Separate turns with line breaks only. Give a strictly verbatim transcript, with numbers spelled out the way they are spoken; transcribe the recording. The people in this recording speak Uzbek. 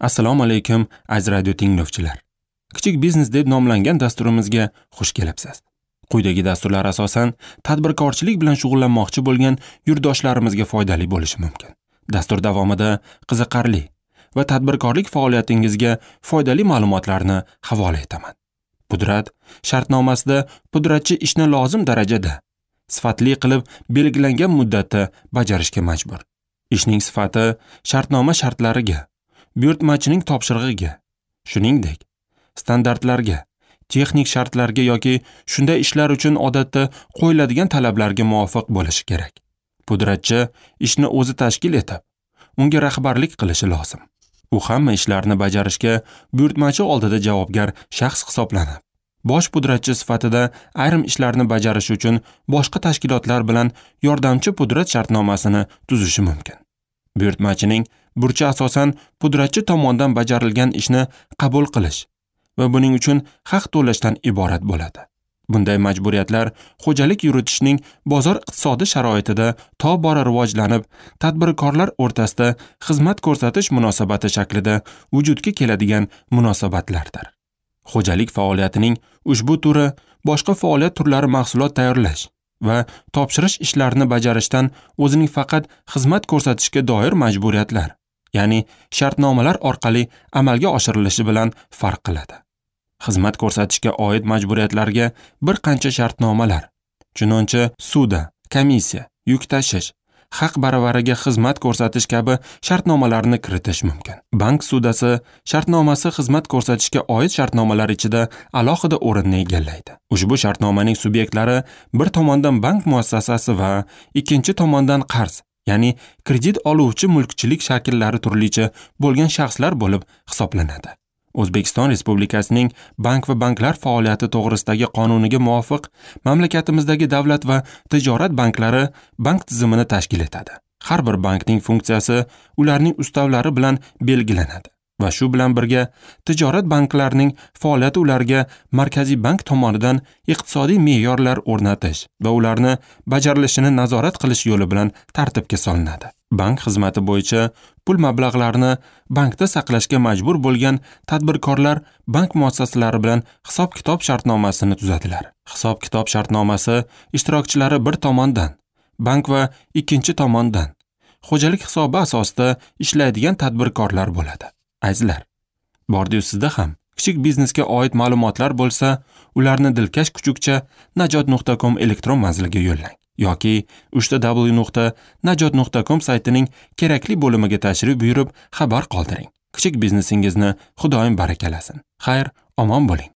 Assalomu alaykum, aziz radio tinglovchilar. Kichik biznes deb nomlangan dasturimizga xush kelibsiz. Quyidagi dasturlar asosan tadbirkorchilik bilan shug'ullanmoqchi bo'lgan yurtdoshlarimizga foydali bo'lishi mumkin. Dastur davomida qiziqarli va tadbirkorlik faoliyatingizga foydali ma'lumotlarni havola etaman. Pudrat shartnomasida pudratchi ishni lozim darajada sifatli qilib belgilangan muddatda bajarishga majbur. Ishning sifati shartnoma shartlariga, buyurtmachining topshirig'iga, shuningdek, standartlarga, texnik shartlarga yoki shunday ishlar uchun odatda qo'yiladigan talablarga muvofiq bo'lishi kerak. Pudratchi ishni o'zi tashkil etib, unga rahbarlik qilishi lozim. U hamma ishlarni bajarishga buyurtmachi oldida javobgar shaxs hisoblanib, bosh pudratchi sifatida ayrim ishlarni bajarish uchun boshqa tashkilotlar bilan yordamchi pudrat shartnomasini tuzishi mumkin. Buyurtmachining burchi asosan pudratchi tomonidan bajarilgan ishni qabul qilish va buning uchun haq to'lashdan iborat bo'ladi. Bunday majburiyatlar xo'jalik yuritishning bozor iqtisodi sharoitida tobora rivojlanib, tadbirkorlar o'rtasida xizmat ko'rsatish munosabati shaklida vujudga keladigan munosabatlardir. Xo'jalik faoliyatining ushbu turi boshqa faoliyat turlari mahsulot tayyorlash va topshirish ishlarini bajarishdan o'zining faqat xizmat ko'rsatishga doir majburiyatlar, ya'ni shartnomalar orqali amalga oshirilishi bilan farq qiladi. Xizmat ko'rsatishga oid majburiyatlarga bir qancha shartnomalar, chunonchi suda, komissiya, yuk tashish, haq baravariga xizmat ko'rsatish kabi shartnomalarni kiritish mumkin. Bank sudasi shartnomasi xizmat ko'rsatishga oid shartnomalar ichida alohida o'rinni egallaydi. Ushbu shartnomaning subyektlari bir tomondan bank muassasasi va ikkinchi tomondan qarz, ya'ni kredit oluvchi mulkchilik shakllari turlicha bo'lgan shaxslar bo'lib hisoblanadi. O'zbekiston Respublikasining bank va banklar faoliyati to'g'risidagi qonuniga muvofiq mamlakatimizdagi davlat va tijorat banklari bank tizimini tashkil etadi. Har bir bankning funksiyasi ularning ustavlari bilan belgilanadi va shu bilan birga tijorat banklarining faoliyati ularga Markaziy bank tomonidan iqtisodiy me'yorlar o'rnatish va ularni bajarilishini nazorat qilish yo'li bilan tartibga solinadi. Bank xizmati bo'yicha pul mablag'larini bankda saqlashga majbur bo'lgan tadbirkorlar bank muassasalari bilan hisob-kitob shartnomasini tuzadilar. Hisob-kitob shartnomasi ishtirokchilari bir tomondan bank va ikkinchi tomondan xo'jalik hisobi asosida ishlaydigan tadbirkorlar bo'ladi. Azizlar, bordiyu sizda ham kichik biznesga oid ma'lumotlar bo'lsa, ularni dilkash kuchukcha najot nuqta com elektron manziliga yo'llang yoki uchta w nuqta najot nuqta com saytining kerakli bo'limiga tashrif buyurib xabar qoldiring. Kichik biznesingizni Xudoyim barakalasin. Xayr, omon bo'ling.